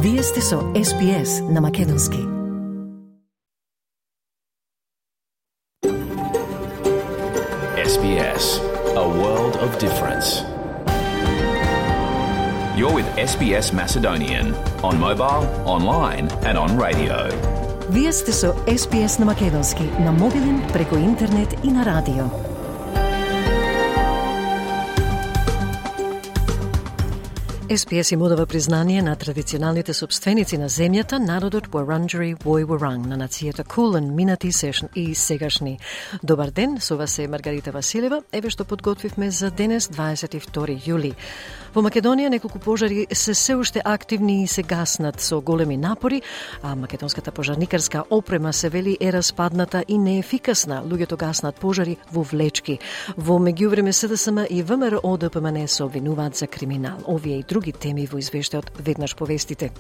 Вие сте со SBS на македонски. SBS, a world of difference. You're with SBS Macedonian on mobile, online and on radio. Вие сте со SBS на македонски, на мобилен, преку интернет и на радио. SBS им удава признание на традиционалните собственици на земјата, народот Wurundjeri Woi Wurrung, на нацијата Кулен, минати и сегашни. Добар ден, со вас е Маргарита Василева. Еве што подготвивме за денес, 22 јули. Во Македонија неколку пожари се уште активни и се гаснат со големи напори, а македонската пожарникарска опрема се вели е распадната и неефикасна. Луѓето гаснат пожари во влечки. Во меѓувреме СДСМ и ВМРО ДПМН се обвинуваат за криминал. Овие и други теми во извештајот веднаш повестите.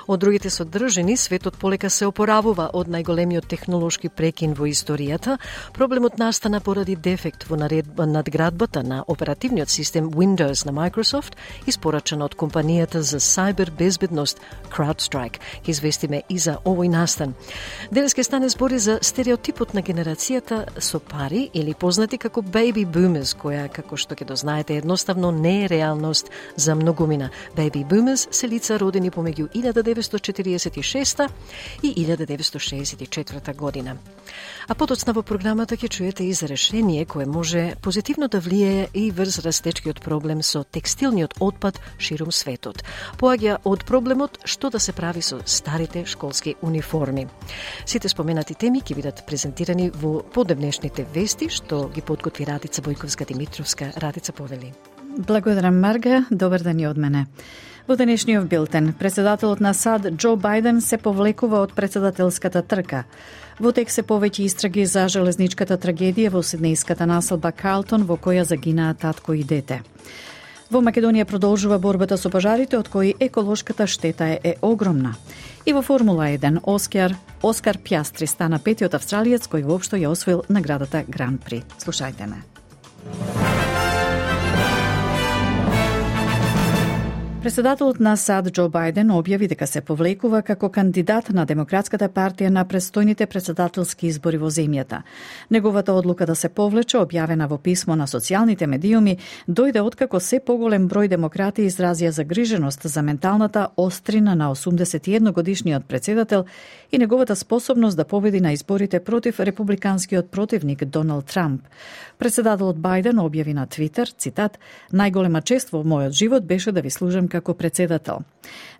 Од другите содржини, светот полека се опоравува од најголемиот технолошки прекин во историјата. Проблемот настана поради дефект во надградбата на оперативниот систем Windows на Microsoft, испорачана од компанијата за сайбер безбедност CrowdStrike. Ке известиме и за овој настан. Денес ке стане збори за стереотипот на генерацијата со пари или познати како baby boomers, која, како што ќе дознаете, едноставно не е реалност за многумина. Baby boomers се лица родени помеѓу 1946 и 1964 година. А потоцна во програмата ќе чуете и за решение кое може позитивно да влијае и врз растечкиот проблем со текстилниот отпад ширум светот. Поаѓа од проблемот што да се прави со старите школски униформи. Сите споменати теми ќе бидат презентирани во подневнешните вести што ги подготви Радица Бојковска-Димитровска. Радица, повели. Благодарам, Марга. Добар ден и од мене. Во денешниот билтен, председателот на САД Џо Бајден се повлекува од председателската трка. Во тек се повеќе истраги за железничката трагедија во сиднејската населба Карлтон, во која загинаа татко и дете. Во Македонија продолжува борбата со пожарите, од кои еколошката штета е огромна. И во Формула 1 Оскар Пјастри стана петиот австралиец кој воопшто ја освоил наградата Гран При. Слушајте ме. Председателот на САД Џо Бајден објави дека се повлекува како кандидат на Демократската партија на престојните председателски избори во земјата. Неговата одлука да се повлече, објавена во писмо на социјалните медиуми, дојде откако се поголем број демократи изразија загриженост за менталната острина на 81-годишниот председател и неговата способност да победи на изборите против републиканскиот противник Доналд Трамп. Председателот Бајден објави на Твитер, цитат: "Најголема чест во мојот живот беше да ви служам како председател."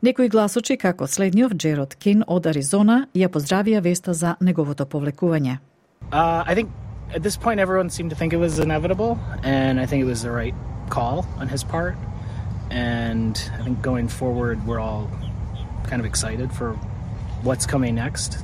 Некои гласочи, како следниот Джерод Кин од Аризона, ја поздравија веста за неговото повлекување. I think at this point everyone seemed to think it was inevitable, and I think it was the right call on his part. And I think going forward we're all kind of excited for what's coming next.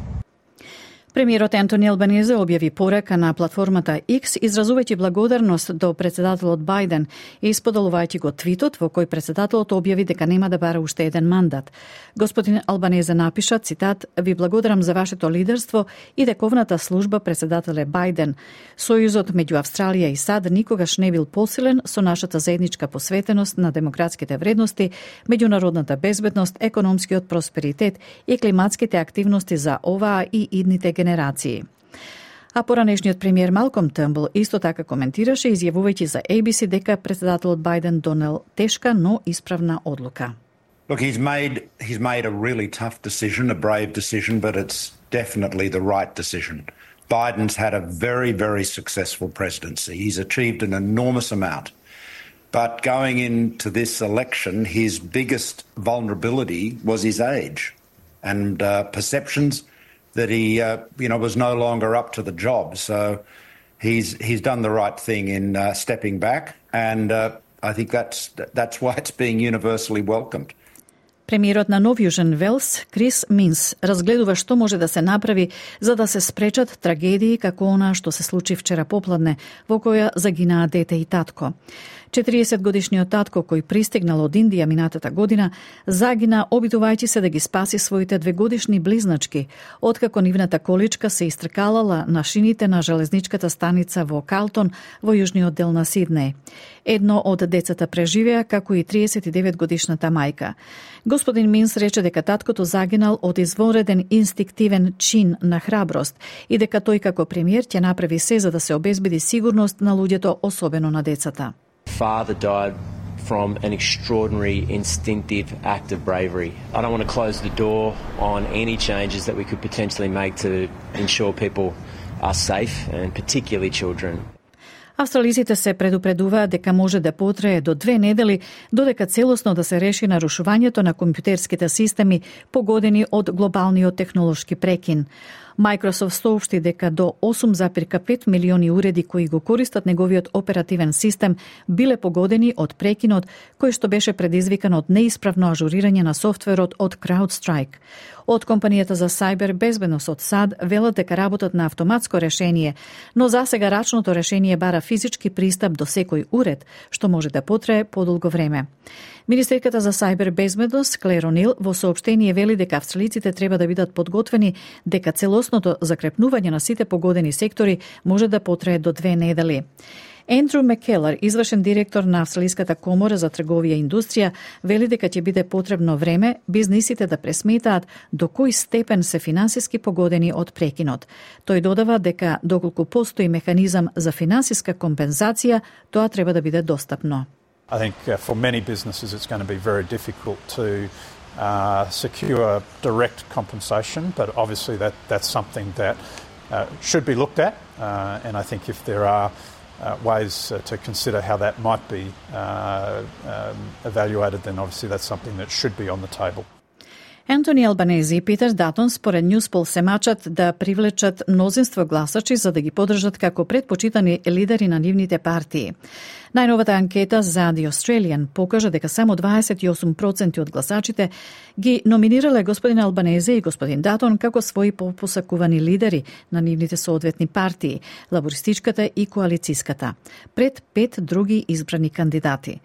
Премиерот Ентони Албанезе објави порака на платформата X, изразувајќи благодарност до председателот Бајден и исподелувајќи го твитот во кој председателот објави дека нема да бара уште еден мандат. Господин Албанезе напиша, цитат: "Ви благодарам за вашето лидерство и дековната служба, председателе Бајден. Сојузот меѓу Австралија и САД никогаш не бил посилен со нашата заедничка посветеност на демократските вредности, меѓународната безбедност, економскиот просперитет и климатските активности за оваа и идните генерации." А поранешниот премиер Малком Търнбул исто така коментираше, изјавувајќи за ABC дека председателот Бајден донел тешка, но исправна одлука. Look, he's made a really tough decision, a brave decision, but it's definitely the right decision. Biden's had a very, very successful presidency. He's achieved an enormous amount. But going into this election, his biggest vulnerability was his age and perceptions that he was no longer up to the job. So he's done the right thing in stepping back, and I think that's why it's being universally welcomed. Премиерот на Нов Јужен Велс, Крис Минс, разгледува што може да се направи за да се спречат трагедии како она што се случи вчера попладне, во која загинаа дете и татко. 40-годишниот татко, кој пристигнал од Индија минатата година, загина обидувајќи се да ги спаси своите 2-годишни близначки, откако нивната количка се истркалала на шините на железничката станица во Карлтон, во јужниот дел на Сиднеј. Едно од децата преживеа, како и 39-годишната мајка. Господин Минс рече дека таткото загинал од извонреден инстинктивен чин на храброст и дека тој како премиер ќе направи се за да се обезбеди сигурност на луѓето, особено на децата. Father died from an extraordinary instinctive act of bravery. I don't want to close the door on any changes that we could potentially make to ensure people are safe, and particularly children. Австралиците се предупредуваат дека може да потрае до 2 недели додека целосно да се реши нарушувањето на компјутерските системи погодени од глобалниот технолошки прекин. Microsoft соопшти дека до 8,5 милиони уреди кои го користат неговиот оперативен систем биле погодени од прекинот кој што беше предизвикан од неисправно ажурирање на софтверот од CrowdStrike. Од компанијата за сајбер безбедност од САД велат дека работат на автоматско решение, но засега рачното решение бара физички пристап до секој уред, што може да потрае подолго време. Министерката за сајбер безбедност Клер О'Нил во соопштение вели дека австралиците треба да бидат подготвени дека целосното закрепнување на сите погодени сектори може да потрае до 2 недели. Ендрю Маккелар, извршен директор на Австралиската комора за трговија и индустрија, вели дека ќе биде потребно време бизнисите да пресметаат до кој степен се финансиски погодени од прекинот. Тој додава дека доколку постои механизам за финансиска компензација, тоа треба да биде достапно. I think for many businesses it's going to be very difficult to secure direct compensation, but obviously that's something that should be looked at, and I think if there are ways to consider how that might be evaluated, then obviously that's something that should be on the table. Ентони Албанези и Питер Датон според Ньюспол се мачат да привлечат мнозинство гласачи за да ги поддржат како предпочитани лидери на нивните партии. Најновата анкета за The Australian покажа дека само 28% од гласачите ги номинирале господин Албанези и господин Датон како своји посакувани лидери на нивните соодветни партии, лабористичката и коалицијската, пред 5 други избрани кандидати.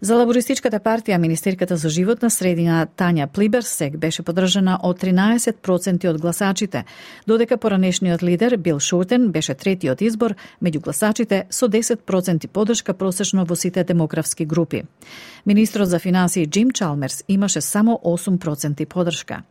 За лабористичката партија, министерката за животна средина Тања Плиберсек беше поддржана од 13% од гласачите, додека поранешниот лидер Бил Шортен беше третиот избор меѓу гласачите со 10% поддршка просечно во сите демографски групи. Министрот за финансии Джим Чалмерс имаше само 8% поддршка.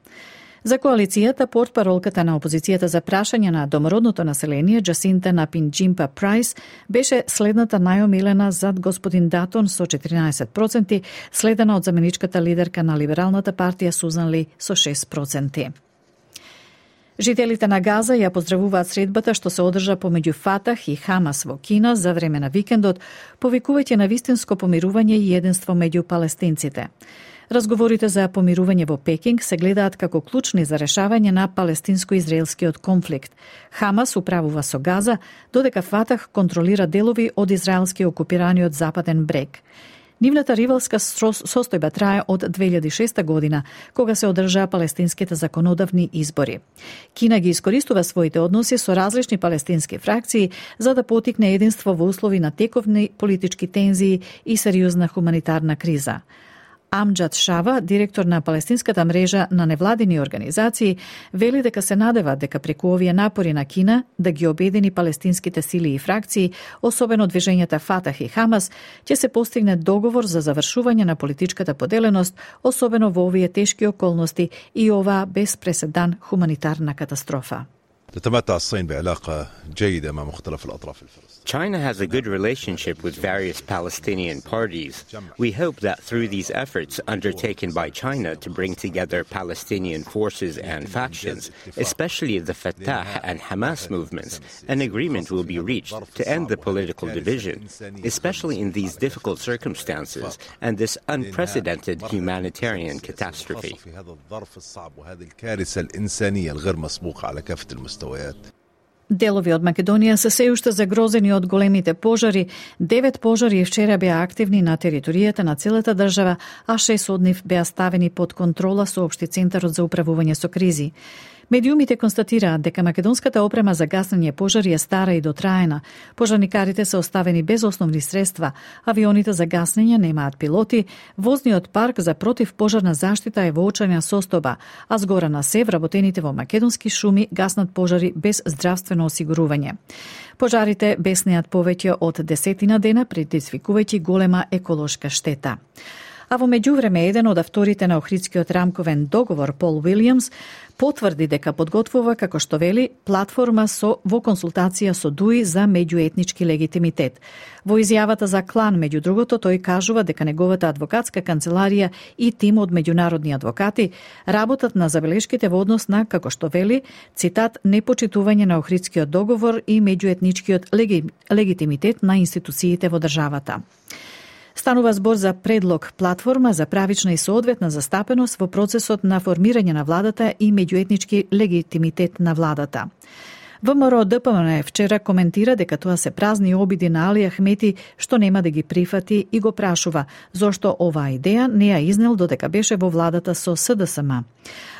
За коалицијата, портпаролката на опозицијата за прашање на домородното население, Джасинта Напинџимпа Прайс, беше следната најомилена зад господин Датон со 14%, следена од заменичката лидерка на либералната партија Сузан Ли со 6%. Жителите на Газа ја поздравуваат средбата што се одржа помеѓу Фатах и Хамас во Кина за време на викендот, повикувајќи на вистинско помирување и единство меѓу палестинците. Разговорите за помирување во Пекинг се гледаат како клучни за решавање на палестинско-израелскиот конфликт. Хамас управува со Газа, додека Фатах контролира делови од израелски окупираниот западен брег. Нивната ривалска состојба трае од 2006 година, кога се одржаа палестинските законодавни избори. Кина ги искористува своите односи со различни палестински фракции за да потикне единство во услови на тековни политички тензии и сериозна хуманитарна криза. Амџад Шава, директор на палестинската мрежа на невладини организации, вели дека се надева дека преку овие напори на Кина да ги обедини палестинските сили и фракции, особено движењата Фатах и Хамас, ќе се постигне договор за завршување на политичката поделеност, особено во овие тешки околности и оваа без преседан хуманитарна катастрофа. تتمتع الصين بعلاقة جيدة مع مختلف الأطراف الفلسطينية. China has a good relationship with various Palestinian parties. We hope that through these efforts undertaken by China to bring together Palestinian forces and factions, especially the Fatah and Hamas movements, an agreement will be reached to end the political division, especially in these difficult circumstances and this unprecedented humanitarian catastrophe. Делови од Македонија се се уште загрозени од големите пожари. 9 пожари вчера беа активни на територијата на целата држава, а 6 од нив беа ставени под контрола, соопшти Центарот за управување со кризи. Медиумите констатираат дека македонската опрема за гаснење пожари е стара и дотраена. Пожарникарите се оставени без основни средства, авионите за гаснење немаат пилоти, возниот парк за противпожарна заштита е во очајна состојба, а згора на се вработените во македонски шуми гаснат пожари без здравствено осигурување. Пожарите беснеат повеќе од 10 дена, предизвикувајќи голема еколошка штета. А во меѓувреме, еден од авторите на Охридскиот рамковен договор, Пол Уилјамс, потврди дека подготвува, како што вели, платформа во консултација со ДУИ за меѓуетнички легитимитет. Во изјавата за Клан, меѓу другото, тој кажува дека неговата адвокатска канцеларија и тим од меѓународни адвокати работат на забелешките во однос на, како што вели, цитат, непочитување на Охридскиот договор и меѓуетничкиот легитимитет на институциите во државата. Станува збор за предлог платформа за правична и соодветна застапеност во процесот на формирање на владата и меѓуетнички легитимитет на владата. ВМРО ДПМН вчера коментира дека тоа се празни обиди на Али Ахмети што нема да ги прифати и го прашува зошто оваа идеја не ја изнел додека беше во владата со СДСМ.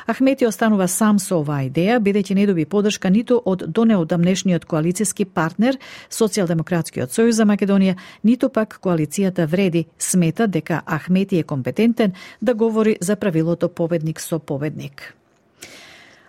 Ахмети останува сам со оваа идеја, бидејќи не доби поддршка ниту од донеодамнешниот коалициски партнер Социјалдемократскиот сојуз за Македонија, ниту пак коалицијата Вреди смета дека Ахмети е компетентен да говори за правилото победник со победник.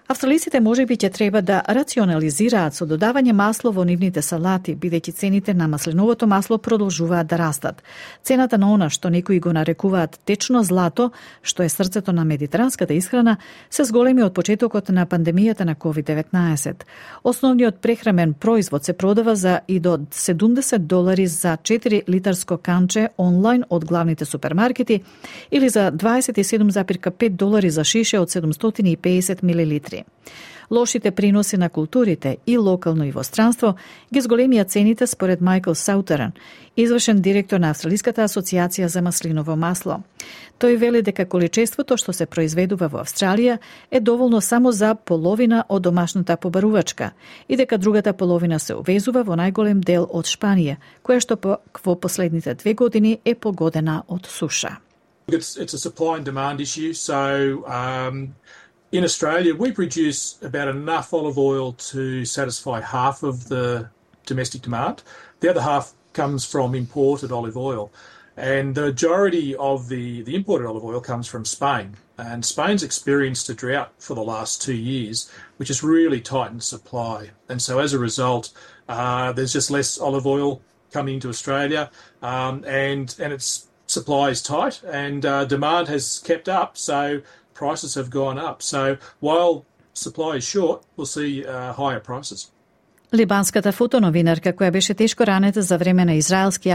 Австралиците можеби ќе треба да рационализираат со додавање масло во нивните салати, бидејќи цените на маслиновото масло продолжуваат да растат. Цената на она што некои го нарекуваат течно злато, што е срцето на медитеранската исхрана, се зголеми од почетокот на пандемијата на COVID-19. Основниот прехрамен производ се продава за и до $70 за 4 литарско канче онлайн од главните супермаркети или за $27,5 за шише од 750 мл. Лошите приноси на културите и локално и во странство ги зголемија цените според Майкл Саутерен, извршен директор на Австралиската асоциација за маслиново масло. Тој вели дека количеството што се произведува во Австралија е доволно само за половина од домашната побарувачка и дека другата половина се увезува во најголем дел од Шпанија, која што во последните 2 години е погодена од суша. It's a supply and demand issue, so in Australia, we produce about enough olive oil to satisfy half of the domestic demand. The other half comes from imported olive oil. And the majority of the imported olive oil comes from Spain. And Spain's experienced a drought for the last 2 years, which has really tightened supply. And so as a result, there's just less olive oil coming into Australia, and its supply is tight, and demand has kept up. So prices have gone up. So while supply is short, we'll see higher prices. Либанската фотоновинарка, која беше тешко ранета за време на израелски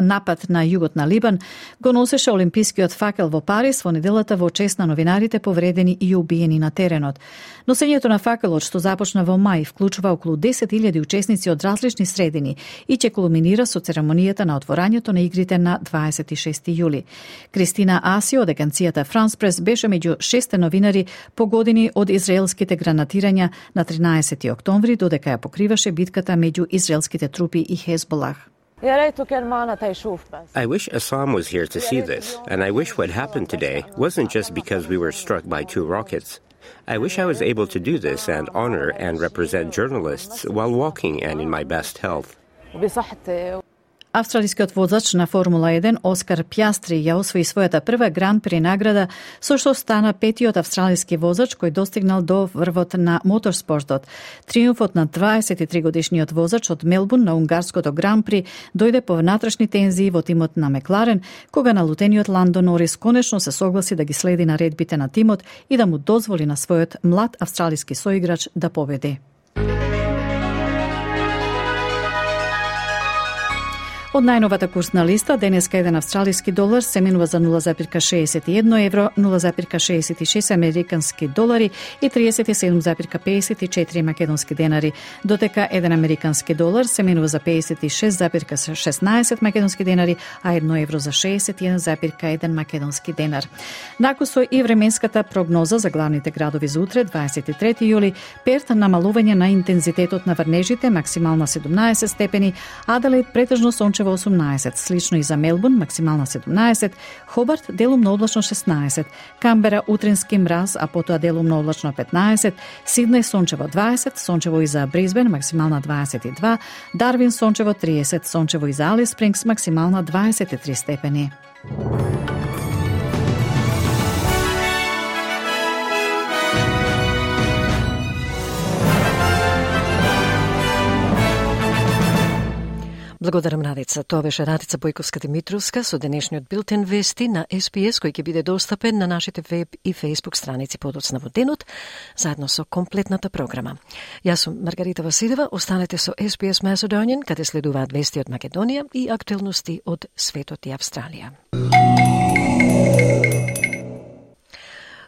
напад на југот на Либан, го носеше олимпискиот факел во Париз во неделата во чест на новинарите повредени и убиени на теренот. Носењето на факелот, што започна во мај, вклучува околу 10.000 учесници од различни средини и ќе кулминира со церемонијата на отворањето на игрите на 26 јули. Кристина Аси од агенцијата France Press беше меѓу 6 новинари погодени од израелските гранатирања на 13 октомври, додека ја покриваше битката меѓу израелските трупи и Хезболах. I wish Assam was here to see this, and I wish what happened today wasn't just because we were struck by 2 rockets. I wish I was able to do this and honor and represent journalists while walking and in my best health. Австралискиот возач на Формула 1 Оскар Пјастри ја освои својата прва гран-при награда, со што стана 5-тиот австралиски возач кој достигнал до врвот на моторспортот. Триумфот на 23-годишниот возач од Мелбурн на унгарското гран-при дојде по внатрешни тензии во тимот на Мекларен, кога налутениот Ландо Норис конечно се согласи да ги следи наредбите на тимот и да му дозволи на својот млад австралиски соиграч да победи. Од најновата курсна листа, денеска еден австралиски долар се менува за 0,61 евро, 0,66 американски долари и 37,54 македонски денари, додека еден американски долар се менува за 56,16 македонски денари, а 1 евро за 61,1 македонски денар. Накусо и временската прогноза за главните градови за утре, 23 јули, Перт намалување на интензитетот на врнежите, максимална 17 степени, Аделаид претежно сончево сончево 18, слично и за Мелбурн, максимална 17, Хобарт делумно облачно 16, Камбера утрински мраз, а потоа делумно облачно 15, Сиднеј сончево 20, сончево и за Брисбен, максимална 22, Дарвин сончево 30, сончево и за Алис Спрингс, максимална 23 степени. Благодарам, Радица. Тоа беше Радица Бојковска-Димитровска со денешниот билтен вести на SPS, кој ќе биде достапен на нашите веб и фейсбук страници подоцна во денот, заедно со комплетната програма. Јас сум Маргарита Василева, останете со SPS Macedonian, каде следуваат вести од Македонија и актуелности од светот и Австралија.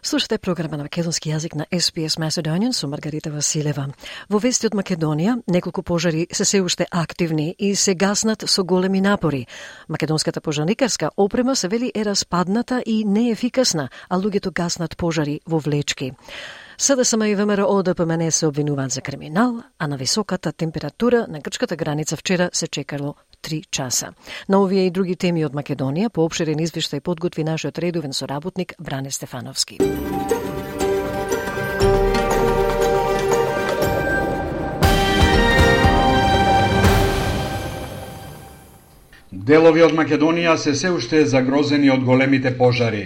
Слушате програма на македонски јазик на SPS Macedonian со Маргарита Василева. Во вести од Македонија, неколку пожари се уште активни и се гаснат со големи напори. Македонската пожарникарска опрема се вели е распадната и неефикасна, а луѓето гаснат пожари во влечки. СДСМ и ВМРО ДПМН се обвинуваат за криминал, а на високата температура на грчката граница вчера се чекало 3 часа. На овие и други теми од Македонија поопширен извештај подготви нашиот редовен соработник Бране Стефановски. Делови од Македонија се уште загрозени од големите пожари.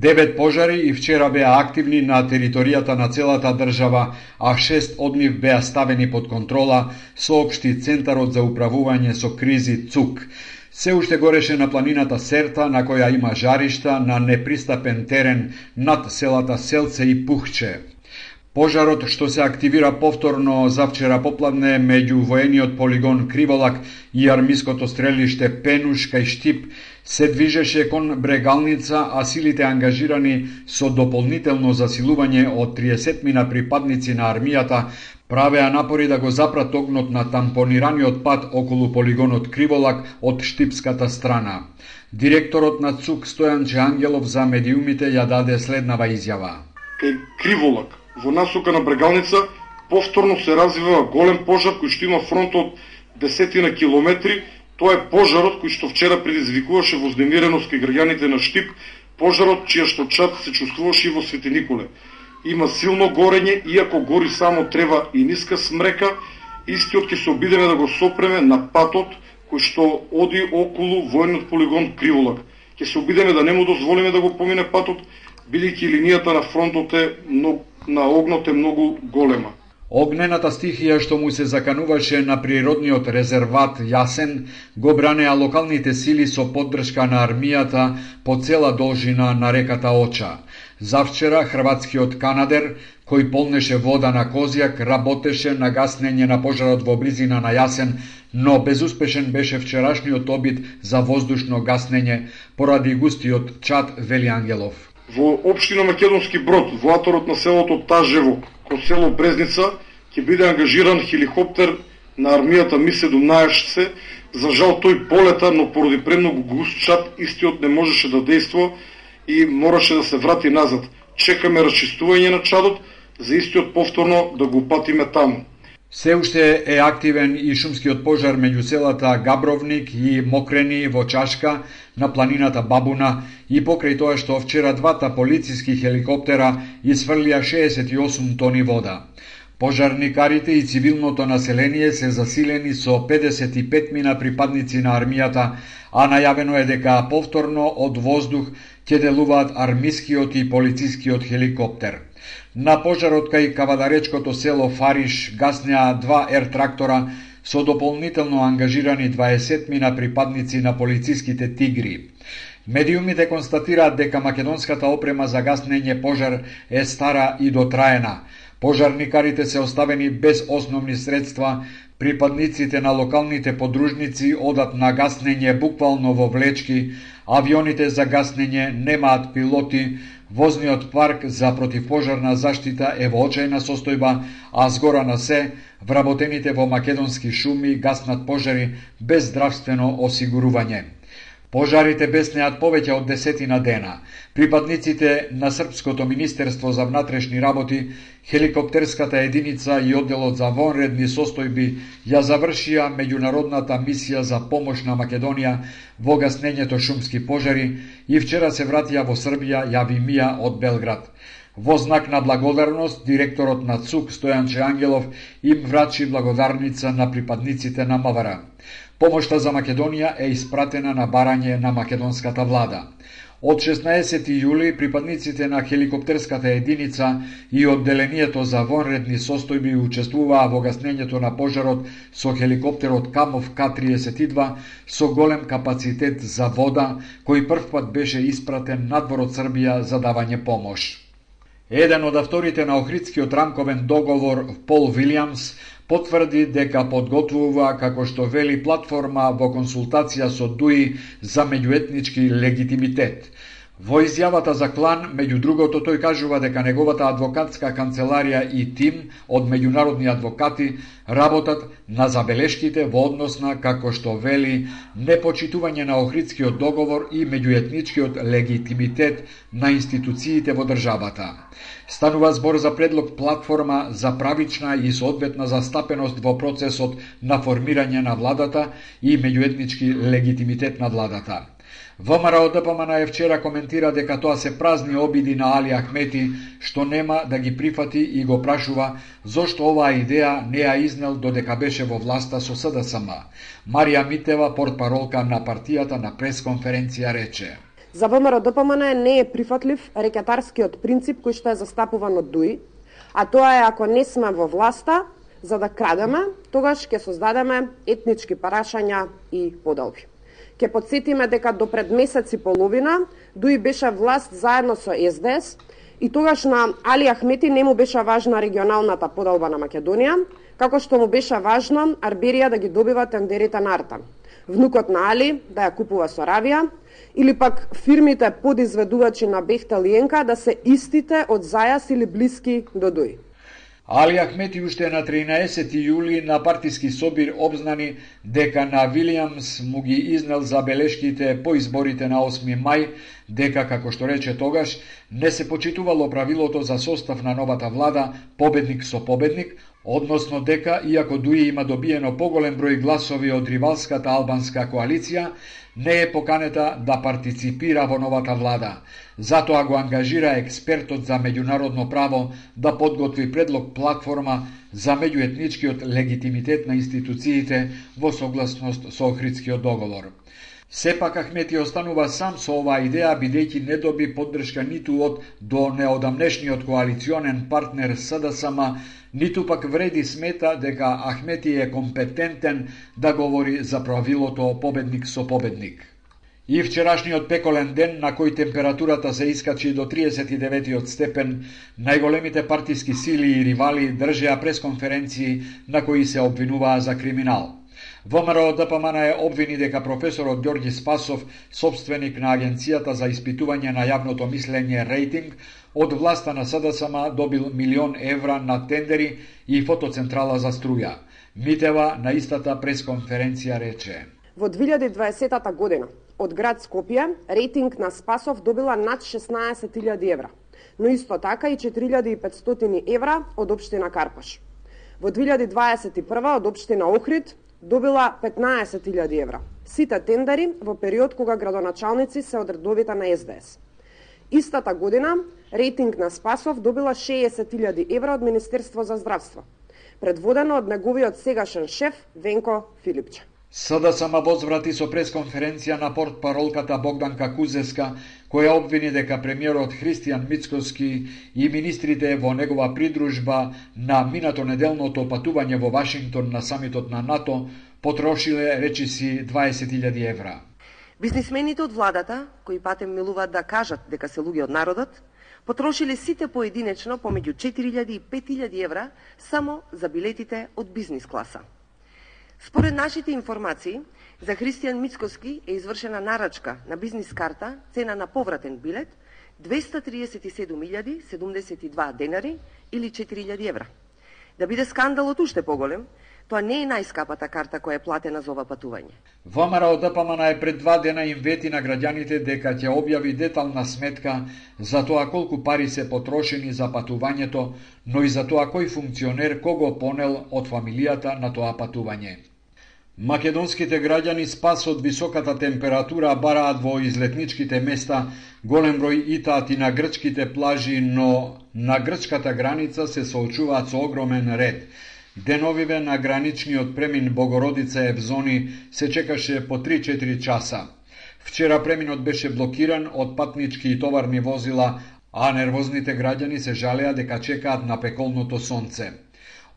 9 пожари и вчера беа активни на територијата на целата држава, а 6 од нив беа ставени под контрола, соопшти Центарот за управување со кризи ЦУК. Се уште гореше на планината Серта, на која има жаришта на непристапен терен над селата Селце и Пухче. Пожарот што се активира повторно завчера попладне меѓу воениот полигон Криволак и армиското стрелиште Пенуш кај Штип се движеше кон Брегалница, а силите ангажирани со дополнително засилување од 30 припадници на армијата правеа напори да го запрат огнот на тампонираниот пат околу полигонот Криволак од штипската страна. Директорот на ЦУК Стојан Джангелов за медиумите ја даде следнава изјава. Кај Криволак во насока на Брегалница повторно се развива голем пожар кој што има фронт од десетина километри. Тоа е пожарот кој што вчера предизвикуваше вознемиреност кај граѓаните на Штип, пожарот чија што чад се чувствуваше и во Свети Николе. Има силно горење, иако гори само трева и ниска смрека, истиот ќе се обидеме да го сопреме на патот кој што оди околу военот полигон Криволак. Ќе се обидеме да не му дозволиме да го помине патот, бидејќи линијата на фронтот на огнот е многу голема. Огнената стихија што му се закануваше на природниот резерват Јасен го бранеа локалните сили со поддршка на армијата по цела должина на реката Оча. Завчера хрватскиот канадер, кој полнеше вода на Козјак, работеше на гаснење на пожарот во близина на Јасен, но безуспешен беше вчерашниот обид за воздушно гаснење поради густиот чад, вели Ангелов. Во општина Македонски Брод, во аторот на селото Тажево, кон село Брезница, ќе биде ангажиран хеликоптер на армијата Ми-17. За жал тој полета, но поради премногу густ чад, истиот не можеше да действува и мораше да се врати назад. Чекаме расчистување на чадот, за истиот повторно да го патиме таму. Се уште е активен и шумскиот пожар меѓу селата Габровник и Мокрени во Чашка на планината Бабуна и покрај тоа што вчера двата полициски хеликоптера исфрлија 68 тони вода. Пожарникарите и цивилното население се засилени со 55 припадници на армијата, а најавено е дека повторно од воздух ќе делуваат армискиот и полицискиот хеликоптер. На пожарот кај кавадаречкото село Фариш гаснеа 2 ер-трактора со дополнително ангажирани 20 припадници на полициските тигри. Медиумите констатираат дека македонската опрема за гаснење пожар е стара и дотраена. Пожарникарите се оставени без основни средства, припадниците на локалните подружници одат на гаснење буквално во влечки, авионите за гаснење немаат пилоти, возниот парк за противпожарна заштита е во очајна состојба, а згора на се, вработените во македонски шуми гаснат пожари без здравствено осигурување. Пожарите беснеат повеќе од 10 дена. Припадниците на Српското Министерство за внатрешни работи, хеликоптерската единица и одделот за вонредни состојби ја завршија меѓународната мисија за помош на Македонија во гаснењето шумски пожари и вчера се вратија во Србија, јави Мија од Белград. Во знак на благодарност, директорот на ЦУК Стојанче Ангелов им врачи благодарница на припадниците на МВР. Помошта за Македонија е испратена на барање на македонската влада. Од 16 јули припадниците на хеликоптерската единица и одделението за вонредни состојби учествуваа во гаснењето на пожарот со хеликоптерот Камов К-32 со голем капацитет за вода, кој првпат беше испратен надвор од Србија за давање помош. Еден од авторите на Охридскиот рамковен договор, Пол Вилијамс, потврди дека подготвува, како што вели, платформа во консултација со ДУИ за меѓуетнички легитимитет. Во изјавата за Клан, меѓу другото, тој кажува дека неговата адвокатска канцеларија и тим од меѓународни адвокати работат на забелешките во однос на, како што вели, непочитување на Охридскиот договор и меѓуетничкиот легитимитет на институциите во државата. Станува збор за предлог платформа за правична и соодветна застапеност во процесот на формирање на владата и меѓуетнички легитимитет на владата. ВМРО ДПМН вчера коментира дека тоа се празни обиди на Али Ахмети, што нема да ги прифати и го прашува зошто оваа идеја не ја изнел додека беше во власта со СДСМ. Марија Митева, портпаролка на партијата, на пресконференција рече: За ВМРО ДПМН не е прифатлив рекетарскиот принцип кој што е застапуван од ДУИ, а тоа е ако не сме во власта за да крадеме, тогаш ќе создадеме етнички парашања и поделби. Ке подсетиме дека до пред месец и половина ДУИ беше власт заедно со СДС и тогаш на Али Ахмети не му беше важна регионалната поделба на Македонија, како што му беше важно Арберија да ги добива тендерите на Артан, внукот на Али да ја купува со Аравија, или пак фирмите подизведувачи на Бехтел и Енка да се истите од Зајас или блиски до ДУИ. Али Ахмети уште на 13 јули на партиски собир обзнани дека на Вилијамс му ги изнел забелешките по изборите на 8 мај, дека, како што рече тогаш, не се почитувало правилото за состав на новата влада победник со победник, односно дека, иако ДУИ има добиено поголем број гласови од ривалската албанска коалиција, не е поканета да партиципира во новата влада. Затоа го ангажира експертот за меѓународно право да подготви предлог платформа за меѓуетничкиот легитимитет на институциите во согласност со Охридскиот договор. Сепак Ахмети останува сам со оваа идеја, бидејќи не доби поддршка ниту од до неодамнешниот коалиционен партнер СДСМ, ниту пак вреди смета дека Ахмети е компетентен да говори за правилото победник со победник. И вчерашниот пеколен ден на кој температурата се искачи до 39 степен, најголемите партиски сили и ривали држеа пресконференции на кои се обвинуваа за криминал. ВМРО ДПМН обвини дека професорот Ѓорѓи Спасов, собственик на Агенцијата за испитување на јавното мислење рейтинг, од власта на СДСМ добил 1.000.000 евра на тендери и фотоцентрала за струја. Митева на истата пресконференција рече: Во 2020 година од град Скопје рейтинг на Спасов добила над 16.000 евра, но исто така и 4.500 евра од општина Карпаш. Во 2021 од општина Охрид добила 15.000 евра. Сите тендери во период кога градоначалници се од редовите на СДС. Истата година рейтинг на Спасов добила 60.000 евра од Министерство за здравство, предводено од неговиот сегашен шеф Венко Филипче. СДСМ возврати со пресконференција на портпаролката Богданка Кузеска, која обвини дека премиерот Христијан Мицкоски и министрите во негова придружба на минато неделното патување во Вашингтон на самитот на НАТО потрошиле, речиси, 20.000 евра. Бизнисмените од владата, кои патем милуваат да кажат дека се луѓе од народот, потрошиле сите поединечно помеѓу 4.000 и 5.000 евра само за билетите од бизнис класа. Според нашите информации, за Христијан Мицкоски е извршена нарачка на бизнис карта, цена на повратен билет 237.072 денари или 4.000 евра. Да биде скандалот уште поголем, Тоа не е најскапата карта која е платена за ова патување. ВМРО ДПМН пред 2 дена им вети на граѓаните дека ќе објави детална сметка за тоа колку пари се потрошени за патувањето, но и за тоа кој функционер кого понел од фамилијата на тоа патување. Македонските граѓани спас од високата температура бараат во излетничките места, голем број итаати на грчките плажи, но на грчката граница се соочуваат со огромен ред. Деновиве на граничниот премин Богородица Евзони се чекаше по 3-4 часа. Вчера преминот беше блокиран од патнички и товарни возила, а нервозните граѓани се жалеа дека чекаат на пеколното сонце.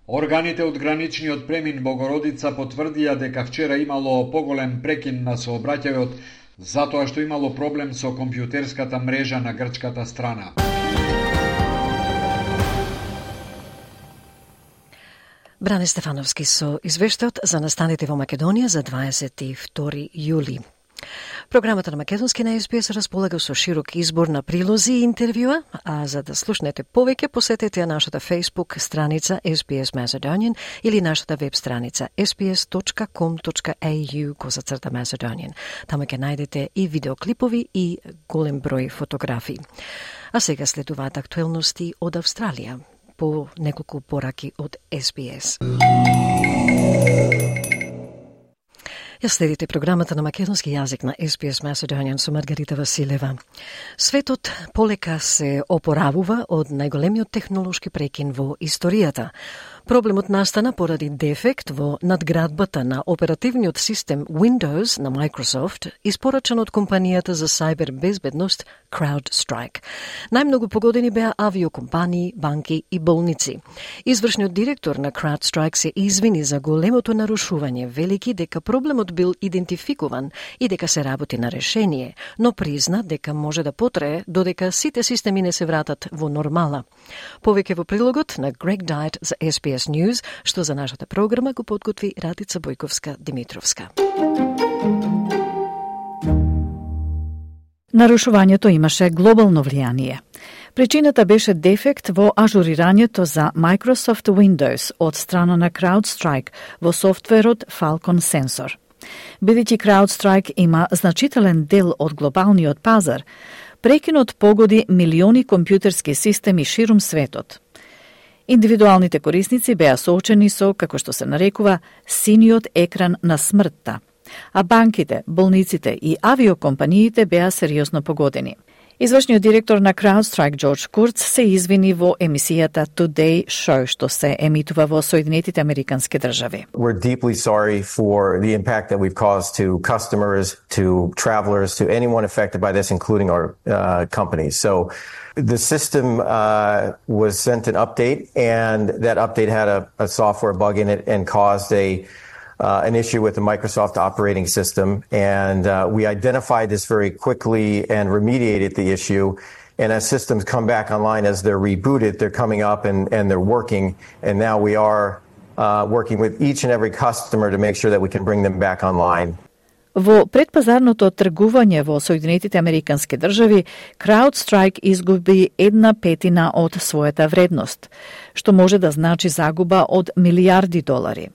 Органите од граничниот премин Богородица потврдија дека вчера имало поголем прекин на сообраќајот затоа што имало проблем со компјутерската мрежа на грчката страна. Бране Стефановски со извештајот за настаните во Македонија за 22 јули. Програмата на Македонски на SBS располага со широк избор на прилози и интервјуа, а за да слушнете повеќе посетете нашата Facebook страница SBS Macedonian или нашата веб страница sbs.com.au/Macedonian. Таму ќе најдете и видеоклипови и голем број фотографии. А сега следуваат актуелности од Австралија по неколку пораки од SBS. Ја следите програмата на македонски јазик на SBS Macedonian со Маргарита Василева. Светот полека се опоравува од најголемиот технолошки прекин во историјата. Проблемот настана поради дефект во надградбата на оперативниот систем Windows на Microsoft, испорачен од компанијата за сајбер безбедност CrowdStrike. Најмногу погодени беа авиокомпании, банки и болници. Извршниот директор на CrowdStrike се извини за големото нарушување, велики дека проблемот бил идентификуван и дека се работи на решение, но призна дека може да потрае додека сите системи не се вратат во нормала. Повеќе во прилогот на Greg Dyett за SBS News, што за нашата програма го подготви Радица Бојковска-Димитровска. Нарушувањето имаше глобално влијание. Причината беше дефект во ажурирањето за Microsoft Windows од страна на CrowdStrike во софтверот Falcon Sensor. Бидејќи CrowdStrike има значителен дел од глобалниот пазар, прекинот погоди милиони компјутерски системи ширум светот. Индивидуалните корисници беа соочени со, како што се нарекува, синиот екран на смртта, а банките, болниците и авиокомпаниите беа сериозно погодени. Извршниот директор на CrowdStrike Джордж Курц се извини во емисијата Today Show, што се емитува во Соединетите Американски држави. We're deeply sorry for the impact that we've caused to customers, to travelers, to anyone affected by this, including our companies. So the system was sent an update, and that update had a software bug in it and caused an issue with the Microsoft operating system, and we identified this very quickly and remediated the issue. And as systems come back online, as they're rebooted, they're coming up and they're working. And now we are working with each and every customer to make sure that we can bring them back online. Во предпазарното тргување во Соединетите Американски држави, CrowdStrike изгуби 1/5 од својата вредност, што може да значи загуба од милиарди долари.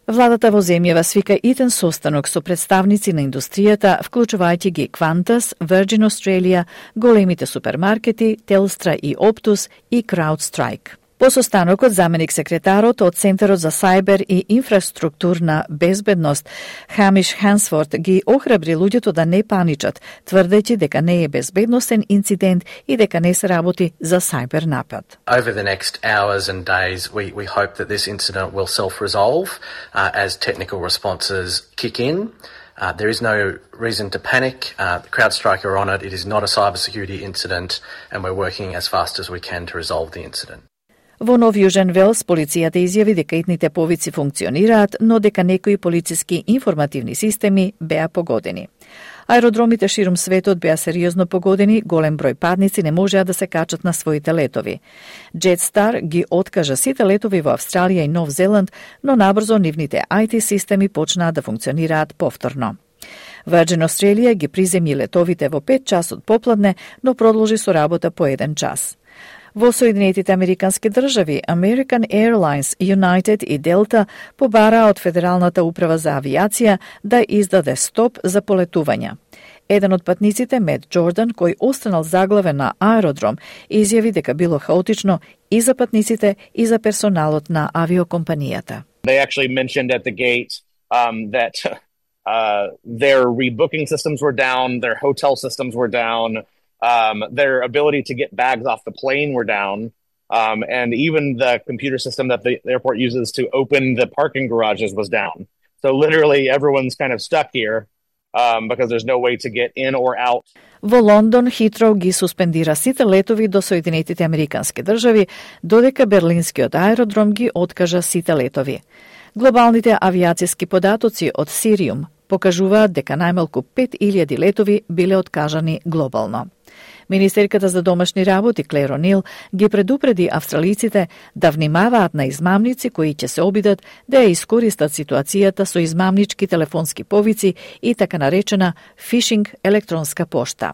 Владата во земјава свика итен состанок со представници на индустријата, вклучувајќи ги Qantas, Virgin Australia, големите супермаркети, Telstra и Optus и CrowdStrike. По состанокот, заменик секретарот од Центарот за сајбер и инфраструктурна безбедност, Хамиш Хансворт, ги охрабри луѓето да не паничат, тврдејќи дека не е безбедносен инцидент и дека не се работи за сајбер напад. Over the next hours and days, we hope that this incident will self-resolve as technical responses kick in. There is no reason to panic. CrowdStrike are on it. It is not a cybersecurity incident, and we're working as fast as we can to resolve the incident. Во Нов Јужен Велс, полицијата изјави дека итните повици функционираат, но дека некои полициски информативни системи беа погодени. Аеродромите ширум светот беа сериозно погодени, голем број падници не можеа да се качат на своите летови. Jetstar ги откажа сите летови во Австралија и Нов Зеланд, но набрзо нивните IT системи почнаа да функционираат повторно. Virgin Australia ги приземи летовите во 5 часот попладне, но продолжи со работа по 1 час. Во Соединетите Американски држави, American Airlines, United и Delta побараа од Федералната управа за авиација да издаде стоп за полетувања. Еден од патниците, Мет Джордан, кој останал заглавен на аеродром, изјави дека било хаотично и за патниците и за персоналот на авиокомпанијата. They actually mentioned at the gate that their rebooking systems were down, their hotel systems were down, their ability to get bags off the plane were down, and even the computer system that the airport uses to open the parking garages was down. So literally everyone's kind of stuck here because there's no way to get in or out. Во Лондон Хитроу ги суспендира сите летови до Соединетите Американски држави, додека Берлинскиот аеродром ги откажа сите летови. Глобалните авиациски податоци од Сириум покажуваат дека најмалку 5000 летови биле откажани глобално. Министерката за домашни работи Клер О'Нил ги предупреди австралиците да внимаваат на измамници кои ќе се обидат да ја искористат ситуацијата со измамнички телефонски повици и така наречена фишинг електронска пошта.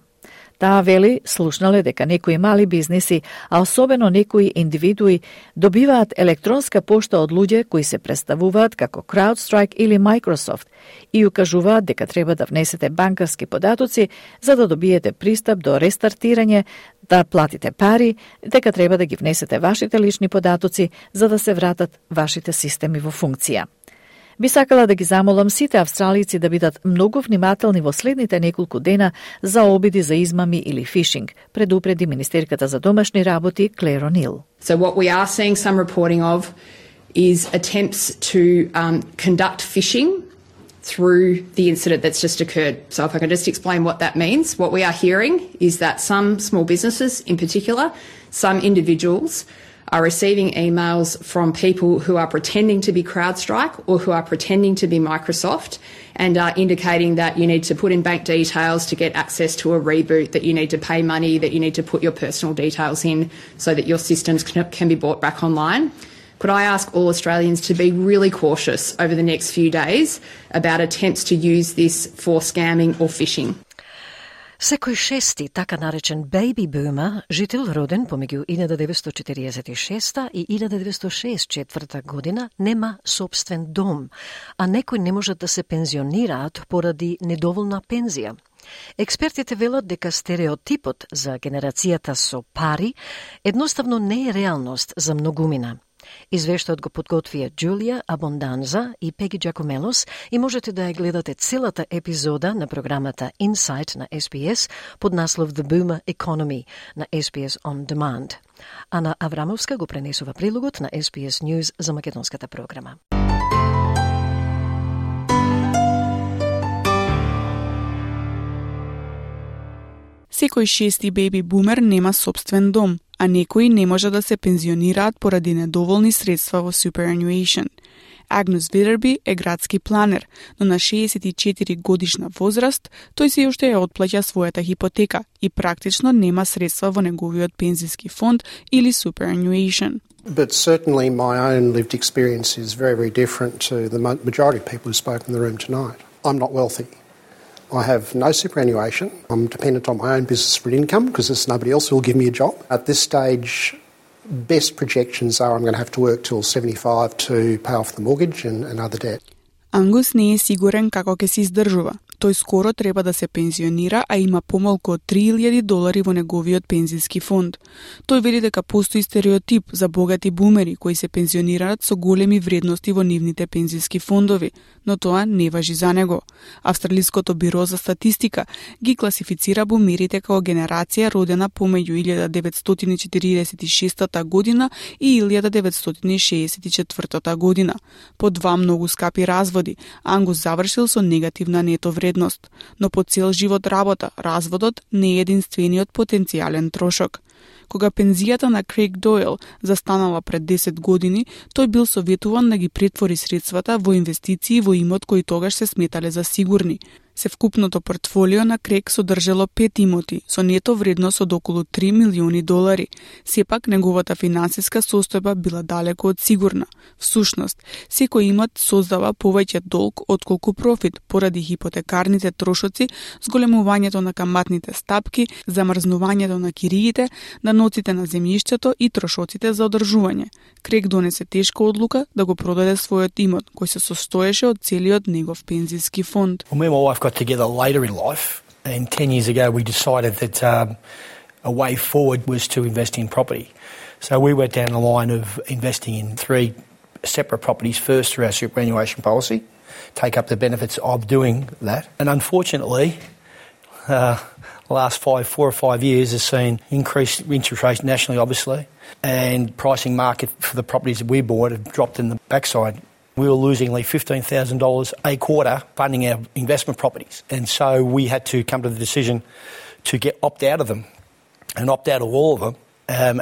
Таа вели слушнале дека некои мали бизниси, а особено некои индивидуи, добиваат електронска пошта од луѓе кои се представуваат како CrowdStrike или Microsoft и укажуваат дека треба да внесете банкарски податоци за да добиете пристап до рестартирање, да платите пари, дека треба да ги внесете вашите лични податоци за да се вратат вашите системи во функција. Би сакала да ги замолам сите австралици да бидат многу внимателни во следните неколку дена за обиди за измами или фишинг, предупреди министерката за домашни работи Клер О'Нил. So what we are seeing some reporting of is attempts to conduct phishing through the incident that's just occurred. So if I can just explain what that means, what we are hearing is that some small businesses in particular, some individuals are receiving emails from people who are pretending to be CrowdStrike or who are pretending to be Microsoft and are indicating that you need to put in bank details to get access to a reboot, that you need to pay money, that you need to put your personal details in so that your systems can be brought back online. Could I ask all Australians to be really cautious over the next few days about attempts to use this for scamming or phishing? Секој шести, така наречен baby boomer, жител роден помеѓу 1946 и 1964 година, нема собствен дом, а некои не можат да се пензионираат поради недоволна пензија. Експертите велат дека стереотипот за генерацијата со пари едноставно не е реалност за многумина. Извештајот го подготвија Джулија Абонданза и Пеги Джакомелос и можете да ја гледате целата епизода на програмата Insight на SBS под наслов The Boomer Economy на SBS On Demand. Ана Аврамовска го пренесува прилогот на SBS News за македонската програма. Секој шести беби бумер нема собствен дом, а некои не може да се пензионираат поради недоволни средства во superannuation. Агнус Витерби е градски планер, но на 64 годишна возраст тој се уште ја отплаќа својата хипотека и практично нема средства во неговиот пензиски фонд или superannuation. But certainly my own lived experience is very, very different to the majority of people who spoke in the room tonight. I'm not wealthy. I have no superannuation. I'm dependent on my own business for income because there's nobody else who will give me a job. At this stage, best projections are I'm going to have to work till 75 to pay off the mortgage and other debt. Ангус не е сигурен како ќе се издржува. Тој скоро треба да се пензионира, а има помалку од $3,000 во неговиот пензиски фонд. Тој вели дека постои стереотип за богати бумери кои се пензионираат со големи вредности во нивните пензиски фондови, но тоа не важи за него. Австралиското биро за статистика ги класифицира бумерите како генерација родена помеѓу 1946 година и 1964 година. По два многу скапи разводи, Ангус завршил со негативна нето вредност, но по цел живот работа, разводот не е единствениот потенцијален трошок. Кога пензијата на Крейг Дойл застанала пред 10 години, тој бил советуван да ги претвори средствата во инвестиции во имот кои тогаш се сметале за сигурни. Севкупното портфолио на Крейг содржало 5 имоти со нето вредност од околу $3 милиони. Сепак неговата финансиска состојба била далеку од сигурна. Всушност, секој имот создава повеќе долг отколку профит поради хипотекарните трошоци, зголемувањето на каматните стапки, замрзнувањето на кириите, наноците на земјиштето и трошоците за одржување. Крейг донесе тешка одлука да го продаде својот имот, кој се состоеше од целиот негов пензиски фонд. Well, me and my wife got together later in life, and 10 years ago we decided that a way forward was to invest in property. So we went down the line of investing in 3 separate properties first through our superannuation policy, take up the benefits of doing that. And unfortunately, the last 4 or 5 years has seen increased interest rates nationally, obviously, and pricing market for the properties that we bought have dropped in the backside. We were losing like $15,000 a quarter funding our investment properties. And so we had to come to the decision to opt out of them and opt out of all of them,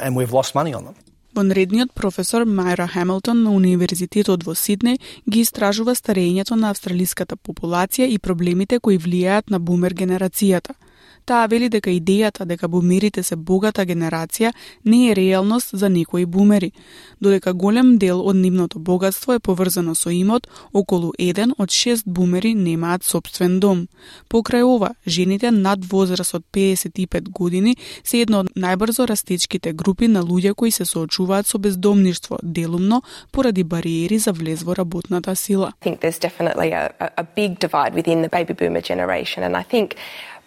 and we've lost money on them. Вонредниот професор Мајра Хамилтон на Универзитетот во Сиднеј ги истражува старењето на австралиската популација и проблемите кои влијаат на бумер генерацијата. Таа вели дека идејата дека бумерите се богата генерација не е реалност за некои бумери, додека голем дел од нивното богатство е поврзано со имот, околу 1 од 6 бумери немаат сопствен дом. Покрај ова, жените над возраст од 55 години се една од најбрзо растечките групи на луѓе кои се соочуваат со бездомништво, делумно поради бариери за влез во работната сила. I think there's definitely a big divide within the baby boomer generation, and I think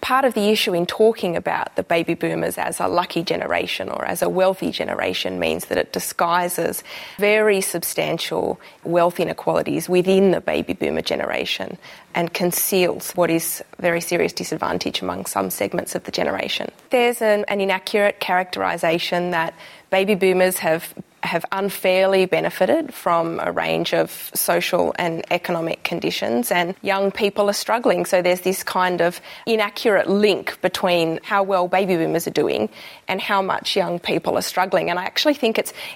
part of the issue in talking about the baby boomers as a lucky generation or as a wealthy generation means that it disguises very substantial wealth inequalities within the baby boomer generation and conceals what is very serious disadvantage among some segments of the generation. There's an inaccurate characterisation that baby boomers have unfairly benefited from a range of social and economic conditions, and young people are struggling. So there's this kind of inaccurate link between how well baby boomers are doing and how much young people are struggling. And I actually think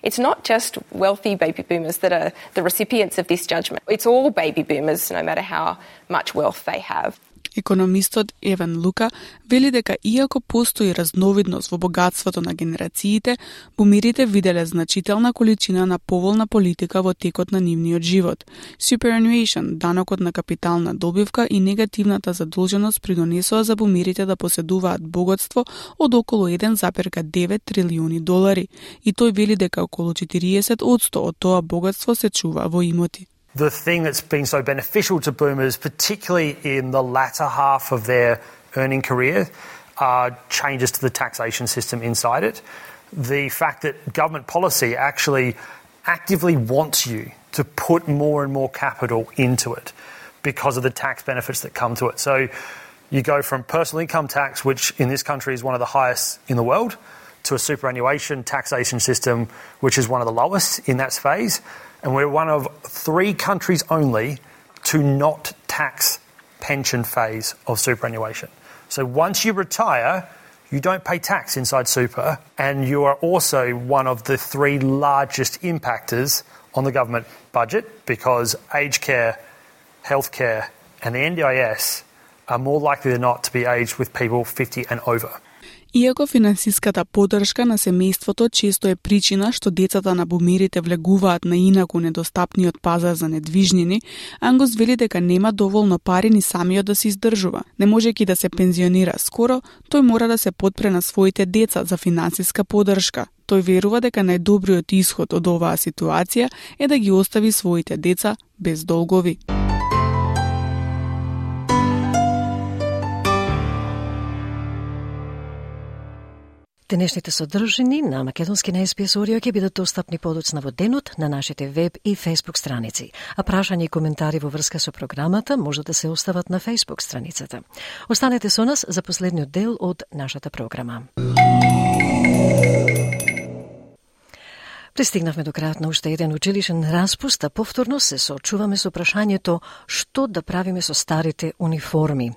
it's not just wealthy baby boomers that are the recipients of this judgment. It's all baby boomers, no matter how much wealth they have. Економистот Еван Лука вели дека иако постои разновидност во богатството на генерациите, бумерите виделе значителна количина на поволна политика во текот на нивниот живот. Superannuation, данокот на капитална добивка и негативната задолженост придонесоа за бумерите да поседуваат богатство од околу $1,9 трилиони. И тој вели дека околу 40% од тоа богатство се чува во имоти. The thing that's been so beneficial to boomers, particularly in the latter half of their earning career, are changes to the taxation system inside it. The fact that government policy actually actively wants you to put more and more capital into it because of the tax benefits that come to it. So you go from personal income tax, which in this country is one of the highest in the world, to a superannuation taxation system, which is one of the lowest in that phase. And we're one of 3 countries only to not tax pension phase of superannuation. So once you retire, you don't pay tax inside super, and you are also one of the 3 largest impactors on the government budget because aged care, healthcare, and the NDIS are more likely than not to be aged with people 50 and over. Иако финансиската поддршка на семејството често е причина што децата на бумерите влегуваат на инаку недостапниот пазар за недвижнини, Ангус вели дека нема доволно пари ни самиот да се издржува. Не можејќи да се пензионира скоро, тој мора да се подпре на своите деца за финансиска поддршка. Тој верува дека најдобриот исход од оваа ситуација е да ги остави своите деца без долгови. Денешните содржини на македонски на SBS Audio ќе бидат достапни подоцна во денот на нашите веб и Facebook страници. А прашања и коментари во врска со програмата може да се остават на Facebook страницата. Останете со нас за последниот дел од нашата програма. Пристигнавме до крајот на уште еден училишен распуст, а повторно се соочуваме со прашањето што да правиме со старите униформи.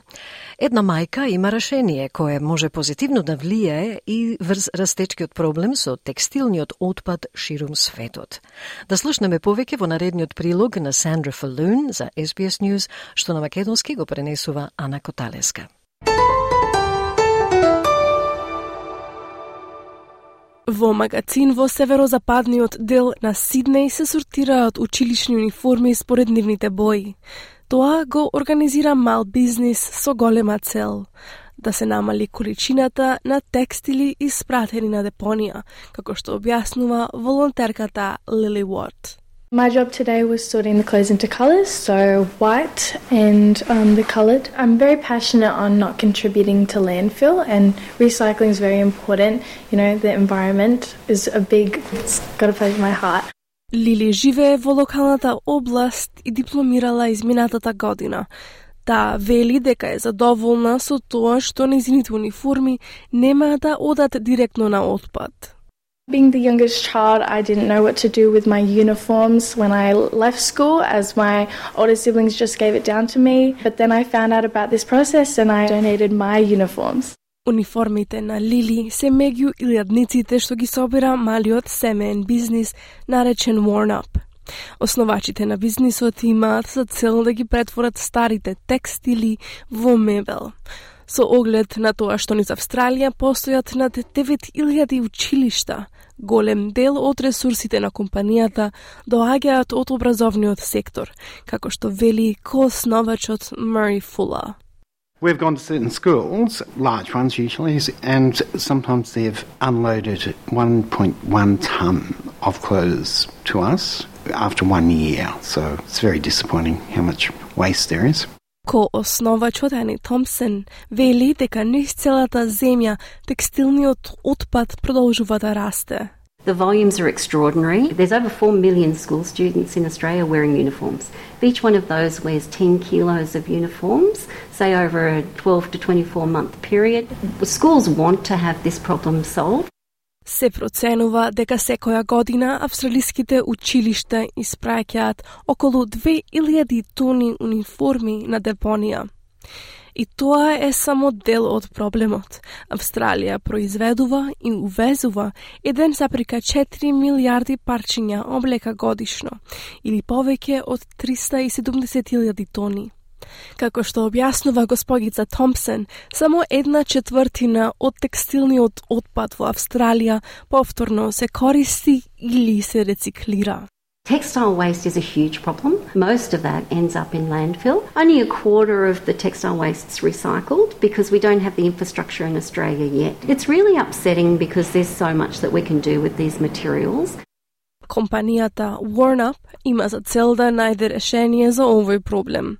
Една мајка има решение кое може позитивно да влијае и врз растечкиот проблем со текстилниот отпад ширум светот. Да слушнеме повеќе во наредниот прилог на Сандра Фалун за SBS News, што на македонски го пренесува Ана Коталеска. Во магазин во северозападниот дел на Сиднеј се сортираат училишни униформи според нивните бои. Тоа го организира мал бизнис со голема цел – да се намали количината на текстили испратени на депонија, како што објаснува волонтерката Лили Уорд. My job today was sorting the clothes into colours, so white and the coloured. I'm very passionate on not contributing to landfill, and recycling is very important. You know, the environment is it's got a place in my heart. Лили живее во локалната област и дипломирала изминатата година. Таа вели дека е задоволна со тоа што нејзините униформи нема да одат директно на отпад. Being the youngest child, I didn't know what to do with my uniforms when I left school, as my older siblings just gave it down to me. But then I found out about this process and I donated my uniforms. Униформите на Лили се меѓу илјадниците што ги собира малиот семеен бизнис наречен Worn Up. Основачите на бизнисот имаат за цел да ги претворат старите текстили во мебел. Со оглед на тоа што низ Австралија постојат над 9000 училишта, голем дел од ресурсите на компанијата доаѓаат од образовниот сектор, како што вели коосновачот Murray Fuller. We've gone to certain schools, large ones usually, and sometimes they've unloaded 1.1 tonne of clothes to us after 1 year. So it's very disappointing how much waste there is. Коосновачот Ани Томпсон вели дека низ целата земја текстилниот отпад продолжува да расте. The volumes are extraordinary. There's over 4 million school students in Australia wearing uniforms. Each one of those wears 10 kilos of uniforms, say over a 12 to 24 month period. Schools want to have this problem solved. Се проценува дека секоја година австралиските училишта испраќаат околу 2000 тони униформи на депонија. И тоа е само дел од проблемот. Австралија произведува и увезува 1,4 милиарди парчиња облека годишно, или повеќе од 370,000 тони. Како што објаснува госпогица Томпсон, само 1/4 од текстилниот отпад во Австралија повторно се користи или се рециклира. Textile waste is a huge problem. Most of that ends up in landfill. Only a quarter of the textile waste is recycled because we don't have the infrastructure in Australia yet. It's really upsetting because there's so much that we can do with these materials. Компанијата Worn Up има за цел да најде решение за овој проблем.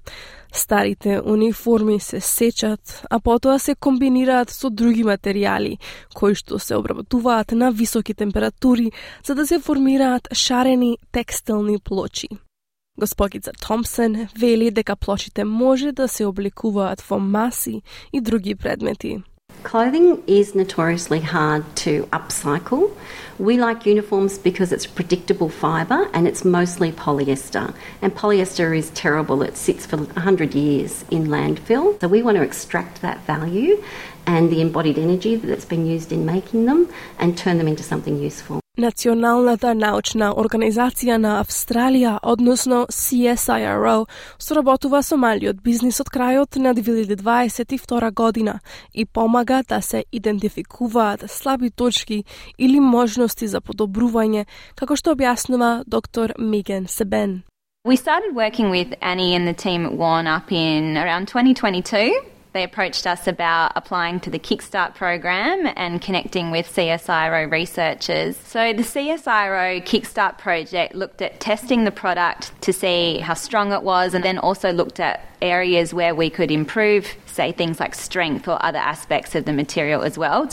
Старите униформи се сечат, а потоа се комбинираат со други материјали, кои што се обработуваат на високи температури, за да се формираат шарени текстилни плочи. Госпогица Томпсон вели дека плочите може да се обликуваат во маси и други предмети. Clothing is notoriously hard to upcycle. We like uniforms because it's predictable fibre and it's mostly polyester. And polyester is terrible. It sits for 100 years in landfill. So we want to extract that value and the embodied energy that's been used in making them and turn them into something useful. Националната научна организација на Австралија, односно CSIRO, соработува со малиот бизнис од крајот на 2022 година и помага да се идентификуваат слаби точки или можности за подобрување, како што објаснува доктор Меган Себен. We started working with Annie and the team at Worn Up in around 2022. They approached us about applying to the Kickstart program and connecting with CSIRO researchers. So the CSIRO Kickstart project looked at testing the product to see how strong it was, and then also looked at areas where we could improve, say things like strength or other aspects of the material as well.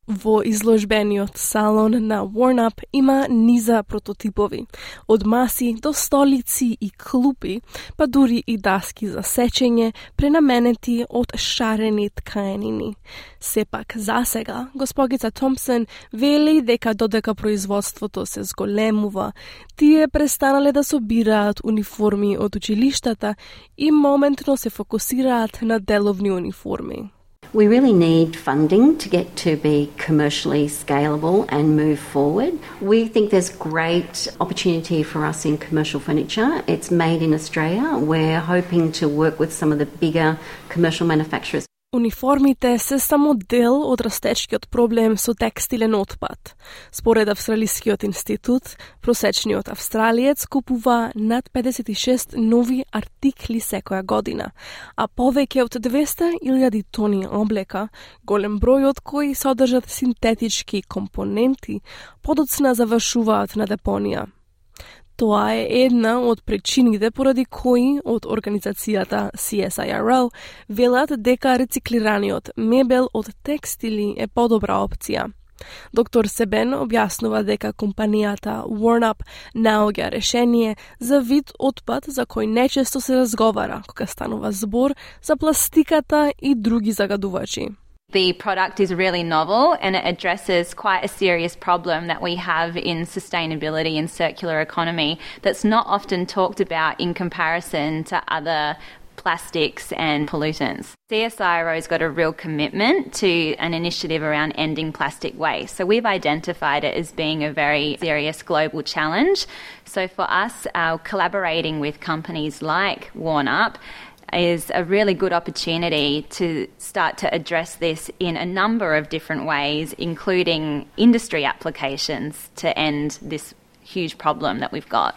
Во изложбениот салон на Warn-Up има низа прототипови, од маси до столици и клупи, па дури и даски за сечење, пренаменети од шарени тканини. Сепак, засега, госпогица Томпсон вели дека додека производството се зголемува, тие престанале да собираат униформи од училиштата и моментно се фокусираат на деловни униформи. We really need funding to get to be commercially scalable and move forward. We think there's great opportunity for us in commercial furniture. It's made in Australia. We're hoping to work with some of the bigger commercial manufacturers. Униформите се само дел од растечкиот проблем со текстилен отпад. Според Австралискиот институт, просечниот австралиец купува над 56 нови артикли секоја година, а повеќе од 200.000 тони облека, голем број од кои содржат синтетички компоненти, подоцна завршуваат на депонија. Тоа е една од причините поради кои од организацијата CSIRO велат дека рециклираниот мебел од текстили е подобра опција. Доктор Себен објаснува дека компанијата Warn-Up наоѓа решение за вид отпад за кој нечесто се разговара кога станува збор за пластиката и други загадувачи. The product is really novel and it addresses quite a serious problem that we have in sustainability and circular economy that's not often talked about in comparison to other plastics and pollutants. CSIRO's got a real commitment to an initiative around ending plastic waste. So we've identified it as being a very serious global challenge. So for us, collaborating with companies like Warn-Up is a really good opportunity to start to address this in a number of different ways, including industry applications to end this huge problem that we've got.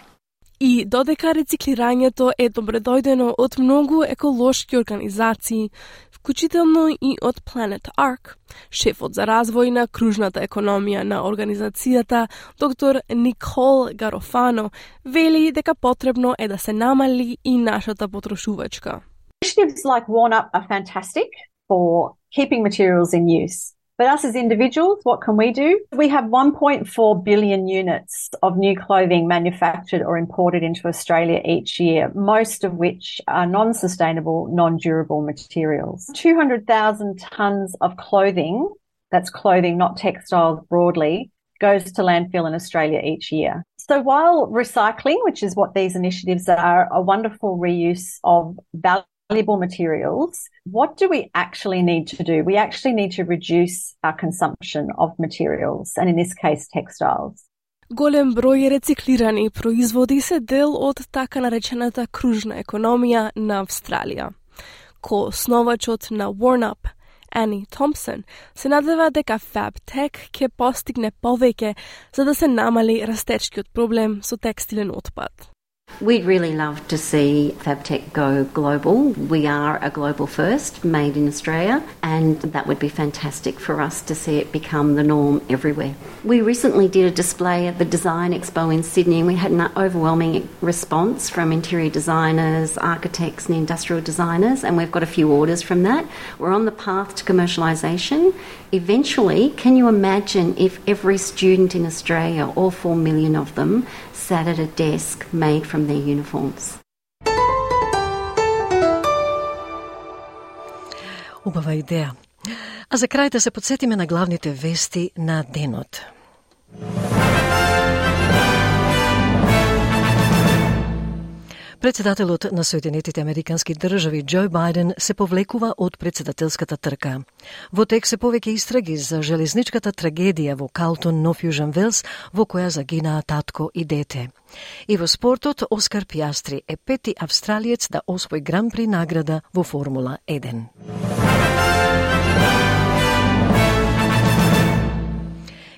И додека рециклирањето е добредојдено од многу еколошки организации, вклучително и од Planet Ark, шефот за развој на кружната економија на организацијата, доктор Никол Гарофано, вели дека потребно е да се намали и нашата потрошувачка. Initiatives like Warn-Up are fantastic for keeping materials in use. But us as individuals, what can we do? We have 1.4 billion units of new clothing manufactured or imported into Australia each year, most of which are non-sustainable, non-durable materials. 200,000 tonnes of clothing, that's clothing, not textiles broadly, goes to landfill in Australia each year. So while recycling, which is what these initiatives are, a wonderful reuse of valuable materials, what do we actually need to do? We actually need to reduce our consumption of materials, and in this case, textiles. Голем број рециклирани производи се дел од така наречената кружна економија на Австралија. Основачот на Warn-Up, Annie Thompson, се надева дека FabTech ќе постигне повеќе за да се намали растечкиот проблем со текстилен отпад. We'd really love to see FabTech go global. We are a global first, made in Australia, and that would be fantastic for us to see it become the norm everywhere. We recently did a display at the Design Expo in Sydney, and we had an overwhelming response from interior designers, architects and industrial designers, and we've got a few orders from that. We're on the path to commercialisation. Eventually, can you imagine if every student in Australia, all 4 million of them, sat at a desk made from their uniforms? Убава идеја. А за крај да се подсетиме на главните вести на денот. Председателот на Соединетите Американски држави Џо Бајден се повлекува од председателската трка. Во тек се повеќе истраги за железничката трагедија во Калтон, Нов Јужен Велс, во која загинаа татко и дете. И во спортот, Оскар Пиастри е пети австралиец да освои Гран-при награда во Формула 1.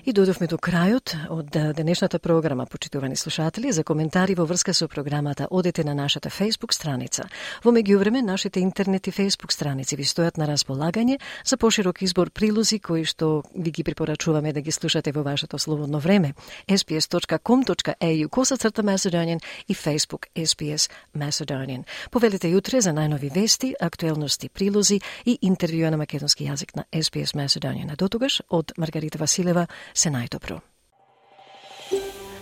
И додовме до крајот од денешната програма, почитувани слушатели. За коментари во врска со програмата одете на нашата Facebook страница. Во меѓувреме, нашите интернет и Facebook страници ви стојат на располагање за поширок избор прилози кои што ви ги препорачуваме да ги слушате во вашето слободно време. sbs.com.au/Macedonian и Facebook SBS Macedonian. Повелете јутре за најнови вести, актуелности, прилози и интервјуа на македонски јазик на SBS Macedonian. До тогаш, од Маргарита Василева, се најдобро.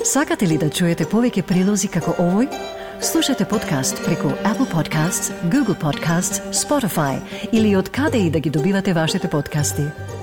Сакате ли да чуете повеќе прилози како овој? Слушате подкаст преку Apple Podcasts, Google Podcasts, Spotify или од каде и да ги добивате вашите подкасти.